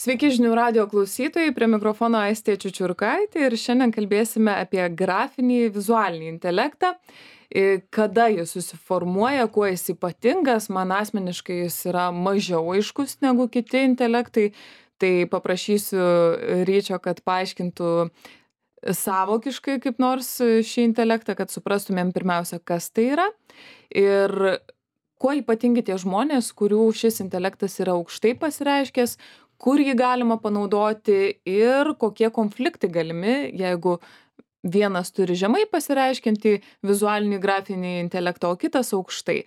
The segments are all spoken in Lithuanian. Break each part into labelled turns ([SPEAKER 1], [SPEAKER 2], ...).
[SPEAKER 1] Sveiki žinių radijo klausytojai, prie mikrofono Aistė Čiučiurkaitė ir šiandien kalbėsime apie grafinį vizualinį intelektą, kada jis susiformuoja, kuo jis ypatingas, man asmeniškai jis yra mažiau aiškus negu kiti intelektai, tai paprašysiu Ryčio, kad paaiškintų sąvokiškai kaip nors šį intelektą, kad suprastumėm pirmiausia, kas tai yra ir kuo ypatingi tie žmonės, kurių šis intelektas yra aukštai pasireiškęs, kur jį galima panaudoti ir kokie konfliktai galimi, jeigu vienas turi žemai pasireiškiantį vizualinį grafinį intelektą, o kitas aukštai.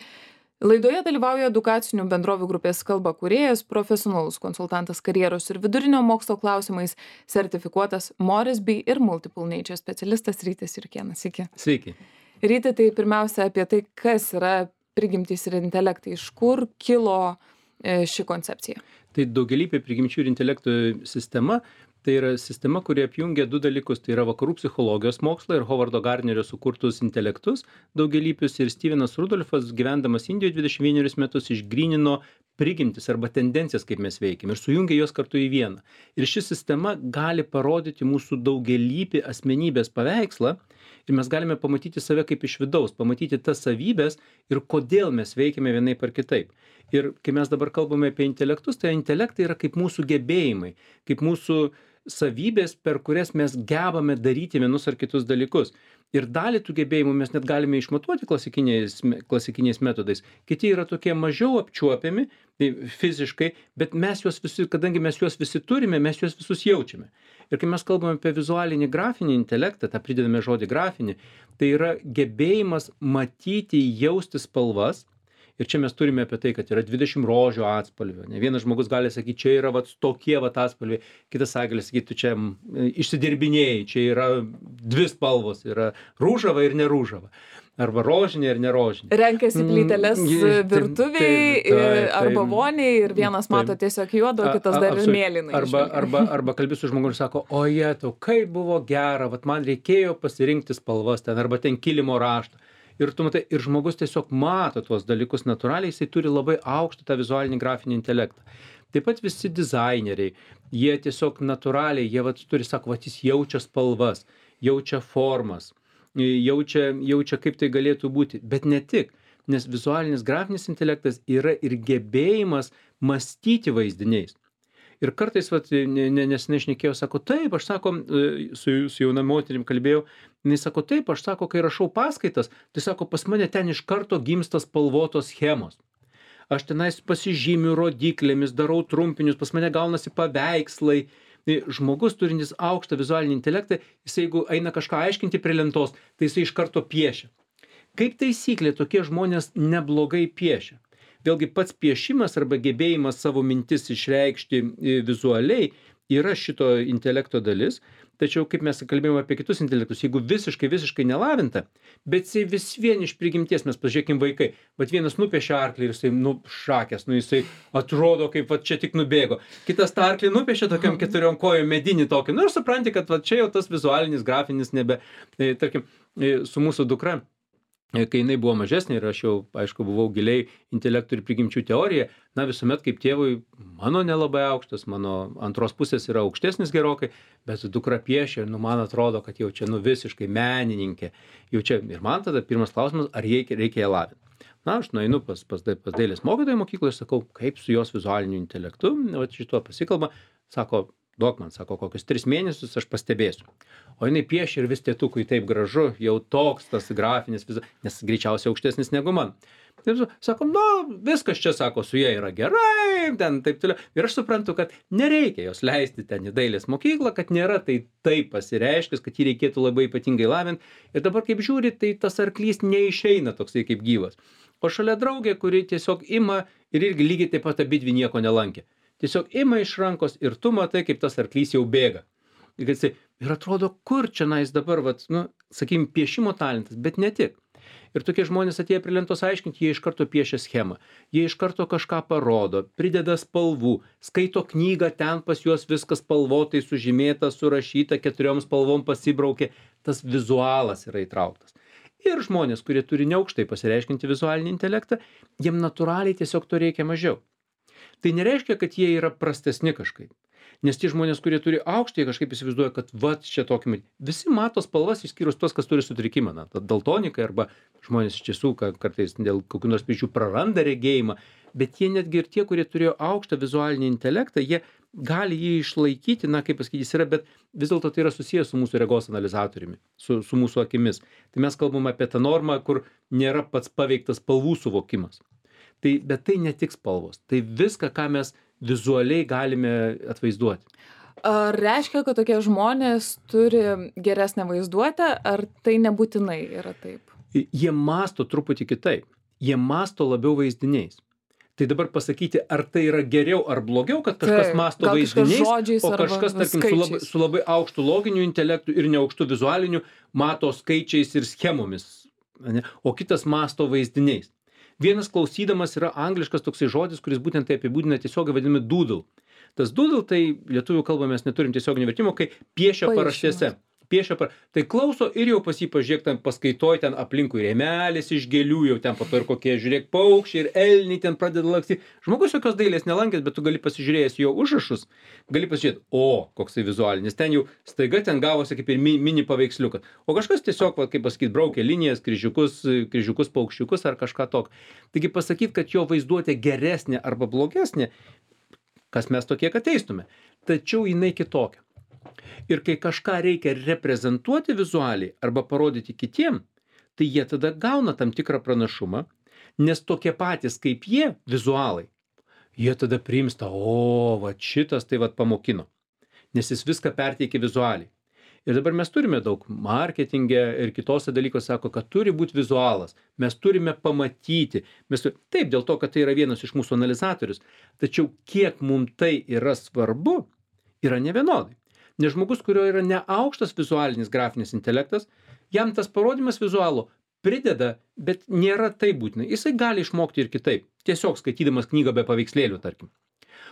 [SPEAKER 1] Laidoje dalyvauja edukacinių bendrovių grupės kalba kūrėjas, profesionalus konsultantas karjeros ir vidurinio mokslo klausimais, sertifikuotas Moresby ir Multiple Nature specialistas Rytis Jurkėnas. Sveiki.
[SPEAKER 2] Sveiki.
[SPEAKER 1] Ryti, tai pirmiausia apie tai, kas yra prigimtys ir intelektai, iš kur kilo ši koncepcija.
[SPEAKER 2] Tai daugialypė prigimčių ir intelekto sistema, tai yra sistema, kuri apjungia du dalykus, tai yra vakarų psichologijos mokslą ir Hovardo Gardnerio sukurtus intelektus daugialypius, ir Stevenas Rudolfas, gyvendamas Indijoje 21 metus, išgrynino prigimtis arba tendencijas, kaip mes veikiam, ir sujungia juos kartu į vieną. Ir ši sistema gali parodyti mūsų daugialypį asmenybės paveikslą, ir mes galime pamatyti save kaip iš vidaus, pamatyti tas savybės ir kodėl mes veikiame vienaip ar kitaip. Ir kai mes dabar kalbame apie intelektus, tai intelektai yra kaip mūsų gebėjimai, kaip mūsų savybės, per kurias mes gebame daryti vienus ar kitus dalykus. Ir dalį tų gebėjimų mes net galime išmatuoti klasikiniais metodais. Kiti yra tokie mažiau apčiuopiami fiziškai, bet mes juos visi, kadangi mes juos visi turime, mes juos visus jaučiame. Ir kai mes kalbame apie vizualinį grafinį intelektą, tą pridedame žodį grafinį, tai yra gebėjimas matyti, jausti spalvas. Ir čia mes turime apie tai, kad yra 20 rožių atspalvių. Ne vienas žmogus gali sakyti, čia yra tokie atspalviai, kitas gali sakyti, tu čia išsidirbinėjai, čia yra dvi spalvos, yra rūžava ir nerūžava. Arba rožinė ir nerožinė.
[SPEAKER 1] Renkasi plyteles virtuviai arba voniai ir vienas mato tiesiog juodo, kitas dar ir mėlyną.
[SPEAKER 2] Arba kalbi su žmogu ir sako, o jetau, kaip buvo gera, man reikėjo pasirinkti spalvas ten, arba ten kilimo raštą. Ir tu matai, ir žmogus tiesiog mato tuos dalykus natūraliai, jisai turi labai aukštą tą vizualinį grafinį intelektą. Taip pat visi dizaineriai, jie tiesiog natūraliai, jie turi, sako, jis jaučia spalvas, jaučia formas, jaučia kaip tai galėtų būti, bet ne tik, nes vizualinis grafinis intelektas yra ir gebėjimas mąstyti vaizdiniais. Ir kartais, nesenai šnekėjau, sako, taip, aš sako, su jauna moterim kalbėjau, jinai sako, taip, aš sako, kai rašau paskaitas, tai sako, pas mane ten iš karto gimsta spalvotos schemos. Aš tenais pasižymiu rodiklėmis, darau trumpinius, pas mane gaunasi paveikslai. Žmogus turintis aukštą vizualinį intelektą, jis jeigu eina kažką aiškinti prie lentos, tai jis iš karto piešia. Kaip taisyklė, tokie žmonės neblogai piešia. Vėlgi pats piešimas arba gebėjimas savo mintis išreikšti vizualiai yra šito intelekto dalis, tačiau kaip mes kalbėjome apie kitus intelektus, jeigu visiškai nelavinta, bet jisai vis vien iš prigimties, mes pažiūrėkim vaikai, vienas nupiešia arklį ir jisai šakės, jisai atrodo kaip čia tik nubėgo, kitas tą arklį nupiešia tokiam 4 kojom medinį tokį, ir supranti, kad čia jau tas vizualinis grafinis nebe, tarkim, su mūsų dukra. Kai jinai buvo mažesnė ir aš jau, aišku, buvau giliai intelektų ir prigimčių teorija, visuomet kaip tėvui, mano nelabai aukštas, mano antros pusės yra aukštesnis gerokai, bet dukra piešia, man atrodo, kad jau čia visiškai menininkė. Jau čia ir man tada pirmas klausimas, ar reikia ją lavinti. Aš nueinu pas dailės mokytoją mokykloje ir sakau, kaip su jos vizualiniu intelektu, šituo pasikalba, sako, duok man, sako, kokius 3 mėnesius aš pastebėsiu. O jinai piešia ir vis tėtukui taip gražu, jau toks tas grafinis, nes greičiausiai aukštesnis negu man. Taip, sako, viskas čia, sako, su jie yra gerai, ten taip toliau. Ir aš suprantu, kad nereikia jos leisti ten į dailės mokyklą, kad nėra tai taip pasireiškęs, kad jį reikėtų labai ypatingai lavinti. Ir dabar kaip žiūri, tai tas arklys neišeina toksai kaip gyvas. O šalia draugė, kuri tiesiog ima ir irgi lygiai taip pat abidvi nieko nelankė. Tiesiog ima iš rankos ir tu matai, kaip tas arklys jau bėga. Ir atrodo, kur čia dabar, sakykim, piešimo talentas, bet ne tik. Ir tokie žmonės atėję prie lentos aiškinti, jie iš karto piešia schemą, jie iš karto kažką parodo, prideda spalvų, skaito knygą, ten pas juos viskas spalvotai sužymėta, surašyta, 4 spalvom pasibraukė, tas vizualas yra įtrauktas. Ir žmonės, kurie turi neaukštai pasireiškinti vizualinį intelektą, jiem natūraliai tiesiog to reikia mažiau. Tai nereiškia, kad jie yra prastesni kažkaip. Nes tie žmonės, kurie turi aukštą, jie kažkaip įsivaizduoja, kad vat čia tokį. Visi mato spalvas, išskyrus tos, kas turi sutrikimą. Na, daltonikai arba žmonės iš tiesų kartais dėl kokių nors priežasčių praranda regėjimą. Bet jie netgi ir tie, kurie turėjo aukštą vizualinį intelektą, jie gali jį išlaikyti, na, kaip pasakyti, jis yra, bet vis dėlto tai yra susijęs su mūsų regos analizatoriumi, su mūsų akimis. Tai mes kalbame apie tą normą, kur nėra pats paveiktas spalvų suvokimas. Bet tai ne tik spalvos, tai viską, ką mes vizualiai galime atvaizduoti.
[SPEAKER 1] Ar reiškia, kad tokie žmonės turi geresnę vaizduotę, ar tai nebūtinai yra taip?
[SPEAKER 2] Jie mąsto truputį kitaip. Jie mąsto labiau vaizdiniais. Tai dabar pasakyti, ar tai yra geriau ar blogiau, kad kažkas mąsto vaizdiniais, o kažkas, tarkim, su labai aukštu loginiu intelektu ir neaukštu vizualiniu mato skaičiais ir schemomis, ne? O kitas mąsto vaizdiniais. Vienas klausydamas yra angliškas toksai žodis, kuris būtent tai apibūdina tiesiogiai vadinami doodle. Tas doodle, tai lietuvių kalbą mes neturim tiesioginio vertimo, kai piešia paraštėse. Tai klauso ir jau pas jį pažiūrėk, ten paskaitoj, ten aplinkui rėmelis iš gėlių, jau ten po to ir kokie, žiūrėk, paukščiai ir elniai ten pradeda lakstyti. Žmogus jokios dailės nelankęs, bet tu gali pasižiūrėjęs jo užrašus, gali pasižiūrėti, koksai vizualinis, ten jau staiga ten gavosi kaip ir mini paveiksliukas. O kažkas tiesiog, kaip pasakyti, braukė linijas, kryžiukus, paukščiukus ar kažką tokio. Taigi pasakyti, kad jo vaizduotė geresnė arba blogesnė, kas mes tokie, kad teistume. Tačiau jinai kitokia. Ir kai kažką reikia reprezentuoti vizualiai arba parodyti kitiem, tai jie tada gauna tam tikrą pranašumą, nes tokie patys kaip jie, vizualai, jie tada priimsta, va šitas tai vat pamokino, nes jis viską perteikia vizualiai. Ir dabar mes turime daug marketinge ir kitose dalykose sako, kad turi būti vizualas, mes turime pamatyti, taip, dėl to, kad tai yra vienas iš mūsų analizatorius, tačiau kiek mums tai yra svarbu, yra nevienodai. Nes žmogus, kurio yra neaukštas vizualinis grafinis intelektas, jam tas parodymas vizualo prideda, bet nėra taip būtina. Jisai gali išmokti ir kitaip, tiesiog skaitydamas knygą be paveikslėlių, tarkim.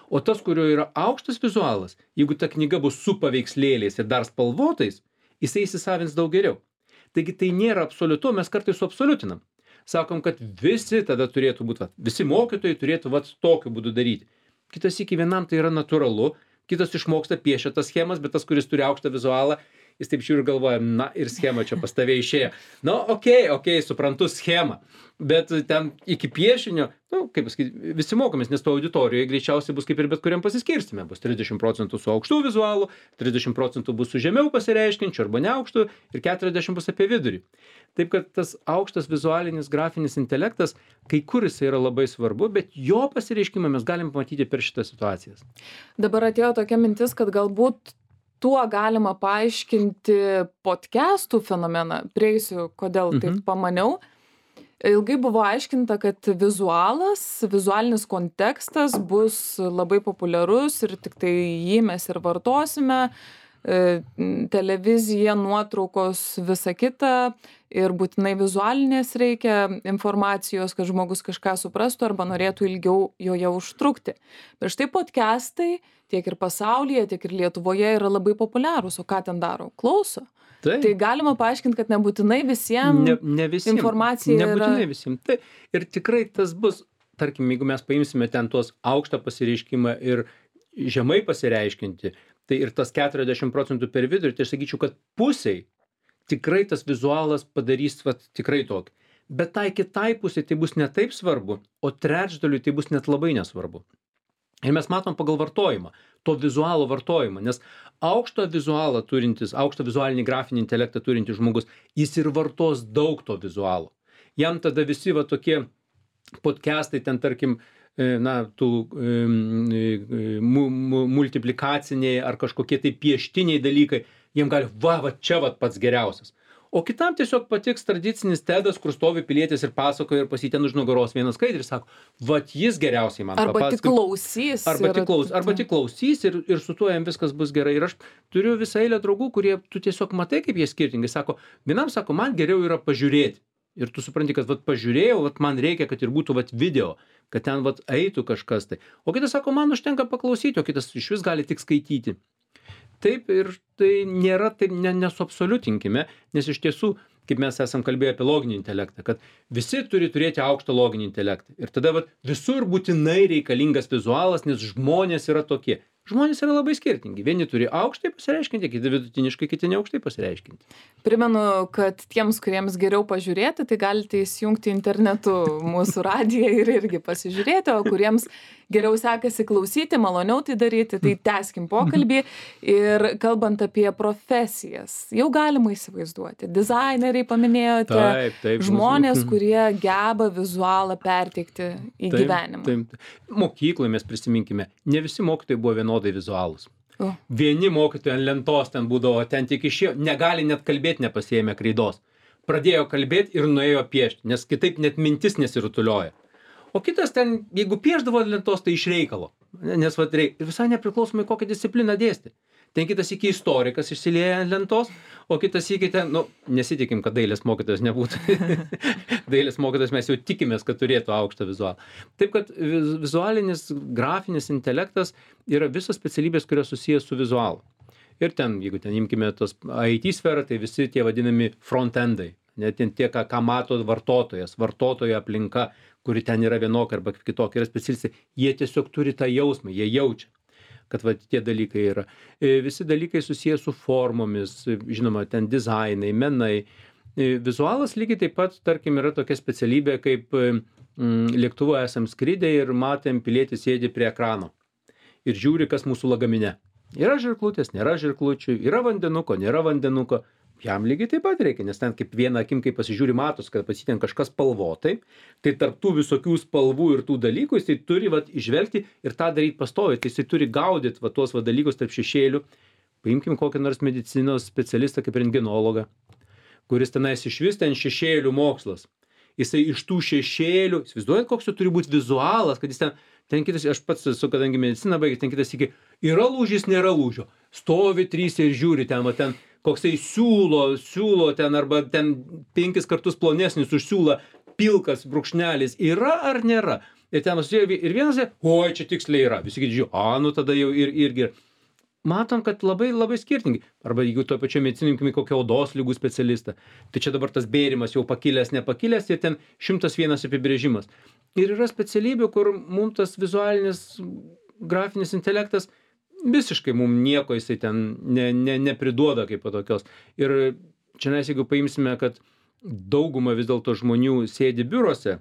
[SPEAKER 2] O tas, kurio yra aukštas vizualas, jeigu ta knyga bus su paveikslėliais ir dar spalvotais, jisai įsisavins daug geriau. Taigi tai nėra absoliutu, mes kartais suabsoliutinam. Sakom, kad visi tada turėtų būti, visi mokytojai turėtų tokiu būdu daryti. Kitas iki vienam tai yra natūralu, kitas išmoksta piešia tas schemas, bet tas, kuris turi aukštą vizualą, jis taip žiūri ir galvoja, na ir schema čia pas tave išėjo. Na, okei, suprantu schemą, bet ten iki piešinio, kaip pasakyti, visi mokomės, nes to auditorijoje greičiausiai bus kaip ir bet kuriam pasiskirstime. Bus 30% su aukštu vizualu, 30% bus su žemiau pasireiškinčiu arba neaukštu ir 40% bus apie vidurį. Taip, kad tas aukštas vizualinis grafinis intelektas, kai kur jis yra labai svarbu, bet jo pasireiškimą mes galim pamatyti per šitas situacijas.
[SPEAKER 1] Dabar atėjo tokia mintis, kad galbūt tuo galima paaiškinti podcastų fenomeną. Prieisiu, kodėl taip pamaniau. Ilgai buvo aiškinta, kad vizualinis kontekstas bus labai populiarus ir tik tai jį mes ir vartosime. Televizija, nuotraukos, visa kita ir būtinai vizualinės reikia informacijos, kad žmogus kažką suprastų arba norėtų ilgiau joje užtrukti. Bet štai podcastai tiek ir pasaulyje, tiek ir Lietuvoje yra labai populiarūs. O ką ten daro? Klauso. Tai galima paaiškinti, kad nebūtinai visiems informacija yra...
[SPEAKER 2] Nebūtinai visiems. Tai ir tikrai tas bus, tarkim, jeigu mes paimsime ten tuos aukštą pasireiškimą ir žemai pasireiškinti, tai ir tas 40% per vidurį, tai aš sakyčiau, kad pusiai tikrai tas vizualas padarys tikrai tokį. Bet tai kitai pusiai tai bus ne taip svarbu, o trečdaliui tai bus net labai nesvarbu. Ir mes matom pagal vartojimą, to vizualo vartojimą, nes aukštą vizualinį grafinį intelektą turintis žmogus, jis ir vartos daug to vizualo. Jam tada visi tokie podcastai ten, tarkim, tų multiplikaciniai ar kažkokie tai pieštiniai dalykai, jiem gali, čia pats geriausias. O kitam tiesiog patiks tradicinis tedas, kur stovi pilietis ir pasakoja ir pas jį ten už nugaros vienas skaidrį, sako, jis geriausiai man papasakos. Arba tik klausys ir su tuo jam viskas bus gerai. Ir aš turiu visą eilę draugų, kurie tu tiesiog matai, kaip jie skirtingai. Sako, vienam sako, man geriau yra pažiūrėti. Ir tu supranti, kad pažiūrėjau, man reikia, kad ir būtų video, kad ten eitų kažkas tai. O kitas sako, man užtenka paklausyti, o kitas iš vis gali tik skaityti. Taip, ir tai nėra taip, nesuabsoliutinkime, nes iš tiesų kaip mes esam kalbėję apie loginį intelektą, kad visi turi turėti aukštą loginį intelektą. Ir tada vat, visur būtinai reikalingas vizualas, nes žmonės yra tokie. Žmonės yra labai skirtingi. Vieni turi aukštai pasireiškinti, kiti vidutiniškai, kiti neaukštai pasireiškinti.
[SPEAKER 1] Primenu, kad tiems, kuriems geriau pažiūrėti, tai galite įsijungti internetu mūsų radiją ir irgi pasižiūrėti, o kuriems geriau sekasi klausyti, maloniau tai daryti, tai tęskim pokalbį. Ir kalbant apie profesijas, jau galima įsivaizduoti. Dizaineriai paminėjote,
[SPEAKER 2] Taip,
[SPEAKER 1] žmonės, kurie geba vizualą perteikti į gyvenimą.
[SPEAKER 2] Taip. Mokykloje mes prisiminkime, ne visi mokytojai buvo vienodai vizualūs. Vieni mokytojai ant lentos ten būdavo, ten tik išėjo, negali net kalbėti nepasiėmė kreidos. Pradėjo kalbėti ir nuėjo piešti, nes kitaip net mintis nesirutulioja. O kitas ten, jeigu pieždavo ant lentos, tai iš reikalo. Nes vat ir visai nepriklausomai kokią discipliną dėstė. Ten kitas iki istorikas išsilieja ant lentos, o kitas iki ten, nesitikim, kad dailės mokytojas nebūtų. Dailės mokytojas mes jau tikimės, kad turėtų aukštą vizualą. Taip, kad vizualinis, grafinis intelektas yra visos specialybės, kurios susijęs su vizualu. Ir ten, jeigu ten imkime tos IT sferą, tai visi tie vadinami front-endai. Net tie, ką mato vartotojas, vartotojo aplinka, kuri ten yra vienokia arba kitokia, yra specialistai, jie tiesiog turi tą jausmą, jie jaučia, kad va, tie dalykai yra. Visi dalykai susiję su formomis, žinoma, ten dizainai, menai. Vizualas lygiai taip pat, tarkim, yra tokia specialybė, kaip lėktuvo esam skridę ir matėm pilietį sėdi prie ekrano ir žiūri, kas mūsų lagamine. Yra žirklutės, nėra žirklučių, yra vandenuko, nėra vandenuko. Jam lygiai taip pat reikia, nes ten kaip viena akim, kai pasižiūri, matos, kad pasitien kažkas spalvotai, tai tarp tų visokių spalvų ir tų dalykų jisai turi vat, išvelgti ir tą daryti pastoviai, tai jisai turi gaudyti vat, tuos vat, dalykus tarp šešėlių. Paimkim kokį nors medicinos specialistą kaip rentgenologą, kuris tenais išvis ten šešėlių mokslas. Jisai iš tų šešėlių, įsivaizduojat, koks jau turi būti vizualas, kad jis ten kitas, aš pats esu, kadangi mediciną baigęs, ten kitas iki, yra lūžis, nėra lūžio. Stovi trys ir žiūri ten, va ten, koksai siūlo ten, arba ten 5 kartus plonesnis už siūlą, pilkas brūkšnelis, yra ar nėra. Ir ten ir vienas, oi, čia tiksliai yra. Visi kiti žiūri, tada jau irgi. Matom, kad labai, labai skirtingi. Arba jeigu to pačio medicinimkime kokią odos lygų specialistą, tai čia dabar tas bėrimas jau pakilęs, nepakilęs ir ten 101 apibrėžimas. Ir yra specialybių, kur mums tas vizualinis grafinis intelektas visiškai mums nieko jisai ten nepriduoda kaip tokios. Ir čia jeigu paimsime, kad dauguma vis dėlto žmonių sėdi biurose,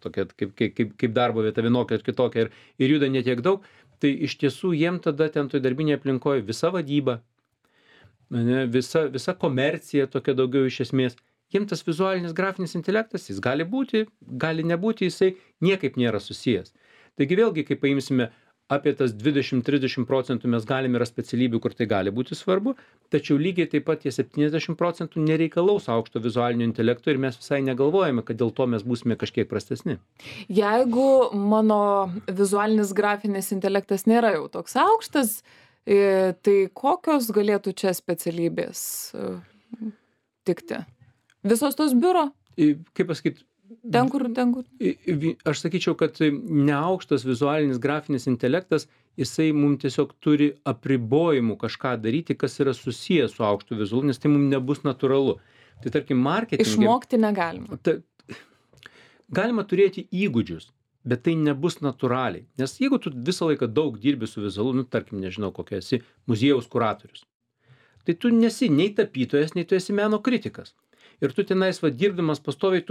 [SPEAKER 2] tokia kaip darbo vieta vienokia ir kitokia ir juda netiek daug, tai iš tiesų jiem tada ten toj darbinėje aplinkoje visa vadyba, visa komercija tokia daugiau iš esmės, jiem tas vizualinis grafinis intelektas, jis gali būti, gali nebūti, jisai niekaip nėra susijęs. Taigi vėlgi, kai paimsime apie tas 20-30% mes galime yra specialybių, kur tai gali būti svarbu, tačiau lygiai taip pat tie 70% nereikalaus aukšto vizualinio intelekto ir mes visai negalvojame, kad dėl to mes būsime kažkiek prastesni.
[SPEAKER 1] Jeigu mano vizualinis grafinis intelektas nėra jau toks aukštas, tai kokios galėtų čia specialybės tikti? Visos tos biuro?
[SPEAKER 2] Kaip pasakyti?
[SPEAKER 1] Ten kur.
[SPEAKER 2] Aš sakyčiau, kad neaukštas vizualinis grafinis intelektas, jisai mums tiesiog turi apribojimų kažką daryti, kas yra susijęs su aukštu vizualu, nes tai mums nebus natūralu. Tai tarkim, marketinge.
[SPEAKER 1] Išmokti negalima.
[SPEAKER 2] Galima turėti įgūdžius, bet tai nebus natūraliai. Nes jeigu tu visą laiką daug dirbi su vizualu, tarkim, nežinau, kokia esi muziejaus kuratorius, tai tu nesi nei tapytojas, nei tu esi meno kritikas. Ir tu tenais dirbdamas pastoviai,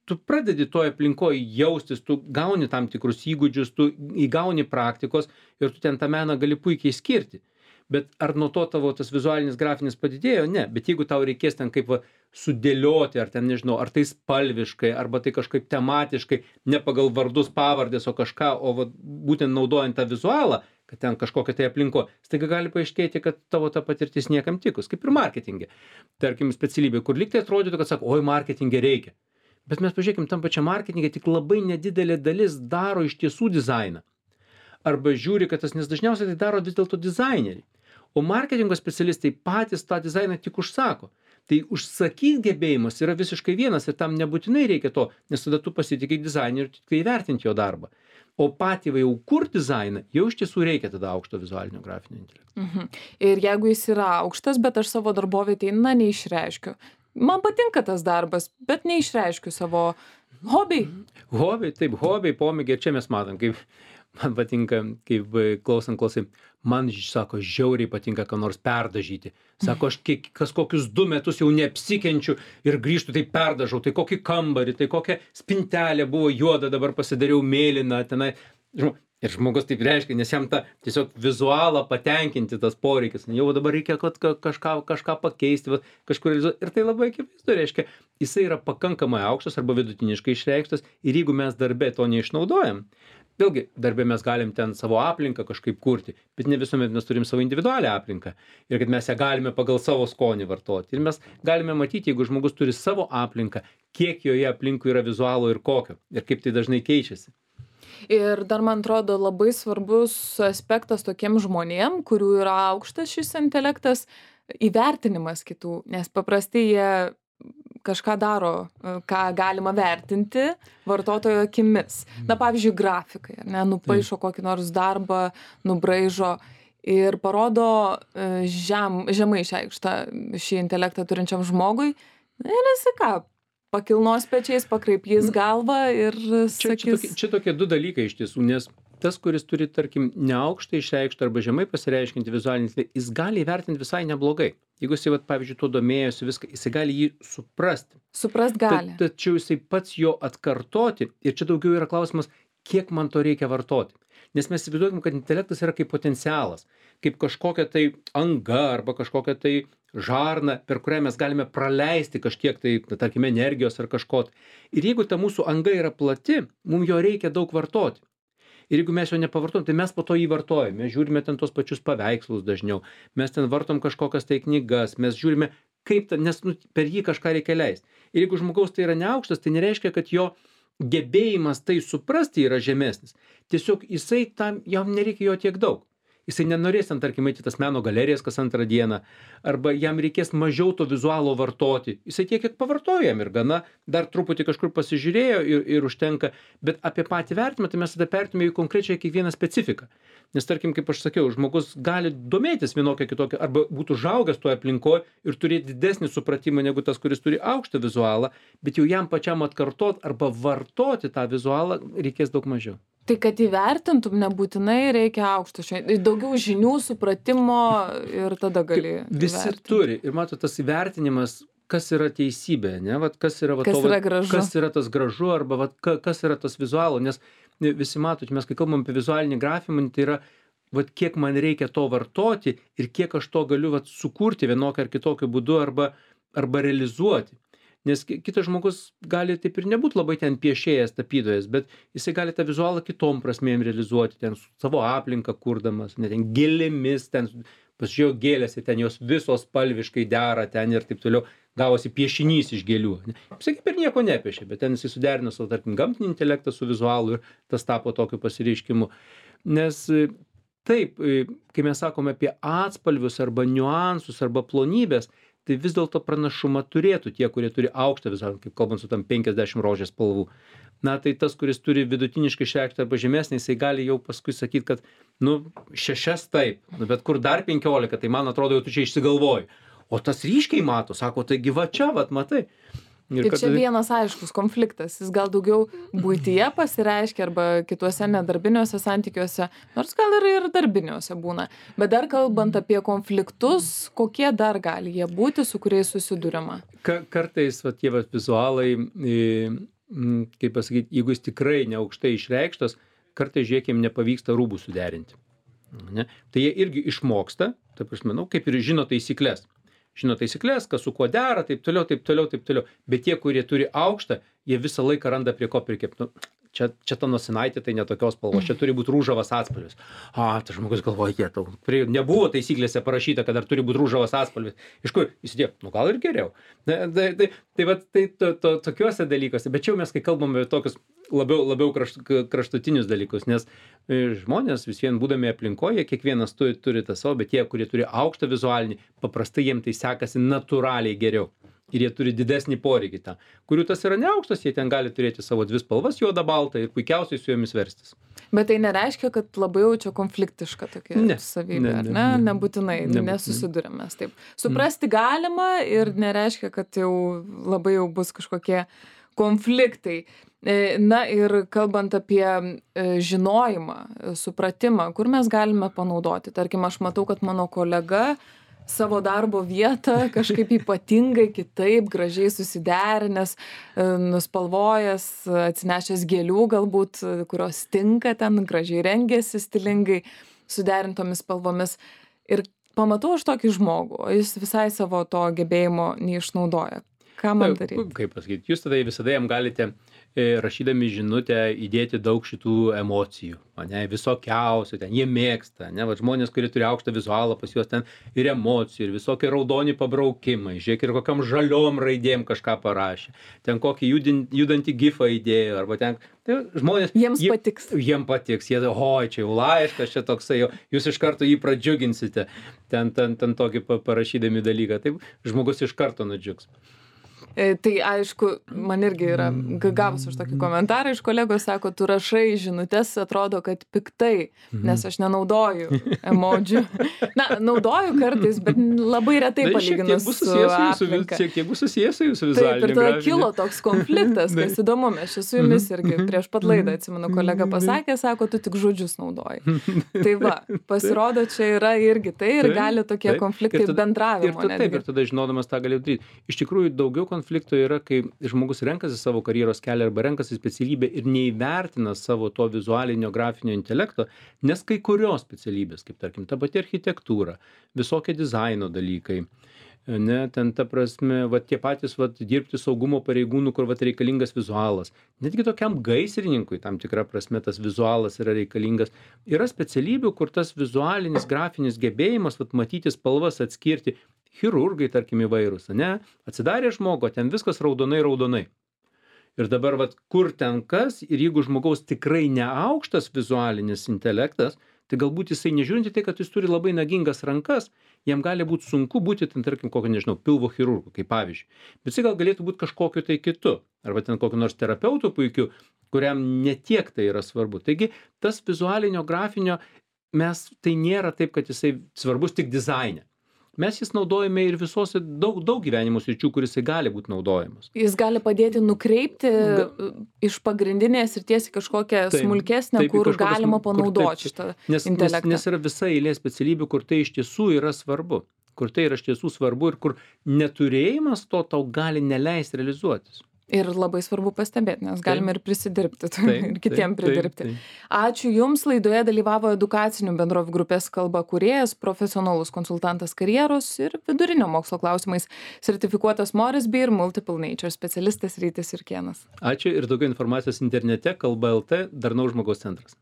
[SPEAKER 2] tu pradedi toje aplinkoje jaustis, tu gauni tam tikrus įgūdžius, tu įgauni praktikos ir tu ten tą meną gali puikiai skirti. Bet ar nuo to tavo tas vizualinis grafinis padidėjo? Ne. Bet jeigu tau reikės ten kaip sudėlioti, ar ten nežinau, ar tai spalviškai, arba tai kažkaip tematiškai, ne pagal vardus, pavardės, o kažką, o būtent naudojant tą vizualą, kad ten kažkokia tai aplinko, staiga gali paaiškėti, kad tavo ta patirtis niekam tikus, kaip ir marketinge. Tarkim, specialybė, kur lyg tai atrodytų, kad sako, oi, marketinge reikia. Bet mes pažiūrėkim, tam pačiam marketinge tik labai nedidelė dalis daro iš tiesų dizainą. Arba žiūri, kad tas, nes dažniausiai tai daro vis dėlto dizaineriai. O marketingo specialistai patys tą dizainą tik užsako. Tai užsakyti gebėjimas yra visiškai vienas ir tam nebūtinai reikia to, nes tada tu pasitikai dizaineriu ir tik įvertinti jo darbą. O patį jau kur dizainą, jau iš tiesų reikia tada aukšto vizualinio grafinio intelekto.
[SPEAKER 1] Ir jeigu jis yra aukštas, bet aš savo darbovietėje neišreiškiu, man patinka tas darbas, bet neišreiškiu savo hobiai.
[SPEAKER 2] Hobiai, pomėgiai, ir čia mes matom, kaip man patinka, kaip klausai, man, sako, žiauriai patinka ką nors perdažyti. Sako, aš kas kokius 2 metus jau neapsikenčiu ir grįžtu, tai perdažau, tai kokį kambarį, tai kokią spintelę buvo juoda, dabar pasidariau mėlyną, tenai. Ir žmogus taip reiškia, nes jam tą tiesiog vizualą patenkinti tas poreikis. Jau dabar reikia kažką pakeisti, kažkur realizuoti. Ir tai labai akivaizdu reiškia, jisai yra pakankamai aukštas arba vidutiniškai išreikštas. Ir jeigu mes darbe to neišnaudojam, vėlgi, darbe mes galim ten savo aplinką kažkaip kurti, bet ne visuomet mes turim savo individualią aplinką. Ir kad mes ją galime pagal savo skonį vartoti. Ir mes galime matyti, jeigu žmogus turi savo aplinką, kiek joje aplinkui yra vizualo ir kokio. Ir kaip tai dažnai keičiasi.
[SPEAKER 1] Ir dar, man atrodo, labai svarbus aspektas tokiem žmonėm, kurių yra aukštas šis intelektas, įvertinimas kitų, nes paprastai jie kažką daro, ką galima vertinti vartotojo akimis. Na, pavyzdžiui, grafikai, ne, nupaišo kokį nors darbą, nubraižo ir parodo žemai išreikštą šį intelektą turinčiam žmogui. Ir jis ką? Pakilnos pečiais, pakraipys galvą ir sakys...
[SPEAKER 2] Čia tokie 2 dalykai iš tiesų, nes tas, kuris turi, tarkim, neaukštai išreikštą arba žemai pasireiškinti vizualinį, jis gali įvertinti visai neblogai. Jeigu jisai, pavyzdžiui, tuo domėjosi viską, jisai gali jį suprasti.
[SPEAKER 1] Suprast gali.
[SPEAKER 2] Tačiau jisai pats jo atkartoti, ir čia daugiau yra klausimas, kiek man to reikia vartoti. Nes mes įsivaizduokim, kad intelektas yra kaip potencialas, kaip kažkokia tai anga arba kažkokia tai žarna, per kurią mes galime praleisti kažkiek tai, tarkime, energijos ar kažko. Ir jeigu ta mūsų anga yra plati, mums jo reikia daug vartoti. Ir jeigu mes jo nepavartojam, tai mes po to jį vartojame. Mes žiūrime ten tos pačius paveikslus dažniau, mes ten vartom kažkokias tai knygas, mes žiūrime, kaip ta, nes per jį kažką reikia leisti. Ir jeigu žmogaus tai yra neaukštas, tai nereiškia, kad jo gebėjimas tai suprasti yra žemesnis. Tiesiog jam nereikia jo tiek daug. Jisai nenorės ten, tarkim, eiti tas meno galerijas kas 2 dieną, arba jam reikės mažiau to vizualo vartoti. Jisai tiek, kiek pavartojo jam ir gana, dar truputį kažkur pasižiūrėjo ir užtenka, bet apie patį vertimą, tai mes tada pertume į konkrečiai kiekvieną specifiką. Nes, tarkim, kaip aš sakiau, žmogus gali domėtis vienokia kitokia, arba būtų užaugęs toje aplinkoje ir turėti didesnį supratimą negu tas, kuris turi aukštą vizualą, bet jau jam pačiam atkartot arba vartoti tą vizualą reikės daug mažiau.
[SPEAKER 1] Tai kad įvertintum, nebūtinai reikia aukšto, daugiau žinių, supratimo ir tada gali
[SPEAKER 2] visi
[SPEAKER 1] įvertinti.
[SPEAKER 2] Turi. Ir mato, tas įvertinimas, kas yra teisybė, ne? Kas yra,
[SPEAKER 1] yra gražu.
[SPEAKER 2] Kas yra tas gražu, arba kas yra tas vizualo. Nes visi matot, mes kai kalbam apie vizualinį grafimą, tai yra, kiek man reikia to vartoti ir kiek aš to galiu sukurti vienokiu ar kitokiu būdu arba realizuoti. Nes kitas žmogus gali taip ir nebūti labai ten piešėjas, tapytojas, bet jisai gali tą vizualą kitom prasmėm realizuoti, ten savo aplinką kurdamas, ne ten gėlėmis, ten pasižiūrėjau gėlės, ten jos visos spalviškai dera ten ir taip toliau, gavosi piešinys iš gėlių. Jisai kaip ir nieko nepiešė, bet ten jisai suderino savo, tarkim, gamtinį intelektą su vizualu ir tas tapo tokiu pasireiškimu. Nes taip, kai mes sakome apie atspalvius arba niuansus arba plonybės, tai vis dėlto pranašumą turėtų tie, kurie turi aukštą vizualą, kaip kalbant su tam 50 rožės spalvų. Na, tai tas, kuris turi vidutiniškai išreikštą arba žemesnį, jisai gali jau paskui sakyti, kad, 6 taip, bet kur dar 15, tai man atrodo, jau tu čia išsigalvoji. O tas ryškiai mato, sako, taigi va čia, matai.
[SPEAKER 1] Ir čia vienas aiškus konfliktas, jis gal daugiau buityje pasireiškia arba kituose nedarbiniuose santykiuose, nors gal ir darbiniuose būna. Bet dar kalbant apie konfliktus, kokie dar gali jie būti, su kuriais susiduriama?
[SPEAKER 2] Kartais tie vizualai, kaip pasakyti, jeigu jis tikrai neaukštai išreikštas, kartais žiūrėkim nepavyksta rūbų suderinti. Ne? Tai jie irgi išmoksta, taip aš manau, kaip ir žino taisyklės. Žino taisyklės, kas su kuo dera, taip toliau, taip toliau, taip toliau. Bet tie, kurie turi aukštą, jie visą laiką randa prie ko prikepti. Čia ta nosinaitė, tai netokios spalvos, čia turi būti rūžavas atspalvis. Tas žmogus galvoja, nebuvo taisyklėse parašyta, kad dar turi būti rūžavas atspalvis. Iš kur? Jis įdėjo, gal ir geriau. Tai tokiuose dalykuose. Bet čia mes, kai kalbame apie tokius labiau kraštutinius dalykus, nes žmonės vis vien būdami aplinkoje, kiekvienas turi tą savo, bet tie, kurie turi aukštą vizualinį, paprastai jiem tai sekasi natūraliai geriau. Ir jie turi didesnį poreikį tą. Kurių tas yra neaukštas, jie ten gali turėti savo 2 spalvas, juoda, balta ir puikiausiai su jomis verstis.
[SPEAKER 1] Bet tai nereiškia, kad labai jau čia konfliktiška tokia savybė, ar ne? Nebūtinai, nesusidurėm mes taip. Suprasti galima ir nereiškia, kad jau labai jau bus kažkokie konfliktai. Na ir kalbant apie žinojimą, supratimą, kur mes galime panaudoti. Tarkim, aš matau, kad mano kolega savo darbo vietą kažkaip ypatingai kitaip, gražiai susiderinęs, nuspalvojęs, atsinešęs gėlių galbūt, kurios tinka ten, gražiai rengėsi stilingai, suderintomis spalvomis. Ir pamatau aš tokį žmogų, o jis visai savo to gebėjimo neišnaudoja. Ką man daryti?
[SPEAKER 2] Kaip pasakyti, jūs tada visada jam galite rašydami žinutę įdėti daug šitų emocijų, ane, visokiausių, ten jie mėgsta, ne, va, žmonės, kurie turi aukštą vizualą, pas juos ten ir emocijų, ir visokie raudoni pabraukimai, žiūrėk, ir kokiam žaliom raidėm kažką parašė, ten kokį judantį gifą įdėjo, arba ten, tai žmonės...
[SPEAKER 1] Patiks.
[SPEAKER 2] Jiems patiks, jie, oi, čia jau laiškas, čia toksai, jūs iš karto jį pradžiuginsite, ten tokį parašydami dalyką, taip žmogus iš karto nudžiugs.
[SPEAKER 1] Tai aišku, man irgi yra gavus už tokį komentarą iš kolegos, sako, tu rašai žinutės, atrodo, kad piktai, nes aš nenaudoju emodžių. Na, naudoju kartais, bet labai retai palyginus su aplinka.
[SPEAKER 2] Šiek tiek bus susijęs su jūsų vizualiniu
[SPEAKER 1] gražiniu. Taip, ir tada kilo toks konfliktas, kas įdomu, mes čia su jumis irgi prieš pat laidą, atsimenu, kolega pasakė, sako, tu tik žodžius naudoji. Tai va, pasirodo, čia yra irgi tai ir gali tokie konfliktai bendravimo.
[SPEAKER 2] Taip, ir tada žinodamas tą gali daryti. Iš tikrųjų, daugiau konflikto yra, kai žmogus renkasi savo karjeros kelią arba renkasi specialybę ir neįvertina savo to vizualinio grafinio intelekto, nes kai kurios specialybės, kaip tarkim, ta pati architektūra, visokie dizaino dalykai, ne, ten ta prasme, va, tie patys va, dirbti saugumo pareigūnų, kur va, reikalingas vizualas. Netgi tokiam gaisrininkui tam tikra prasme tas vizualas yra reikalingas. Yra specialybių, kur tas vizualinis, grafinis gebėjimas, va, matyti spalvas, atskirti, chirurgai, tarkim, įvairūs, ne, atsidarė žmogo, ten viskas raudonai. Ir dabar, vat, kur ten kas, ir jeigu žmogaus tikrai neaukštas vizualinis intelektas, tai galbūt jisai nežiūrinti tai, kad jis turi labai nagingas rankas, jam gali būti sunku būti, ten, tarkim, kokio, nežinau, pilvo chirurgu, kaip pavyzdžiui. Bet jisai gal galėtų būti kažkokiu tai kitu, arba ten kokiu nors terapeutu puikiu, kuriam netiek tai yra svarbu. Taigi, tas vizualinio grafinio, tai nėra taip, kad jisai svarbus tik dizaine. Mes jis naudojame ir visose daug gyvenimo sričių, kuris gali būti naudojamas.
[SPEAKER 1] Jis gali padėti nukreipti iš pagrindinės srities į kažkokią smulkesnę, kur galima panaudoti šitą intelektą.
[SPEAKER 2] Nes yra visa eilė specialybių, kur tai iš tiesų yra svarbu. Kur tai yra iš tiesų svarbu ir kur neturėjimas to tau gali neleisti realizuotis.
[SPEAKER 1] Ir labai svarbu pastebėti, nes galime ir prisidirbti ir kitiem pridirbti. Ačiū Jums, laidoje dalyvavo edukacinių bendrovių grupės kalba kūrėjas, profesionalus konsultantas karjeros ir vidurinio mokslo klausimais, sertifikuotas Moresby ir Multiple Nature specialistas Rytis Jurkėnas.
[SPEAKER 2] Ačiū ir daugiau informacijos internete kalba.lt Darnaus žmogaus centras.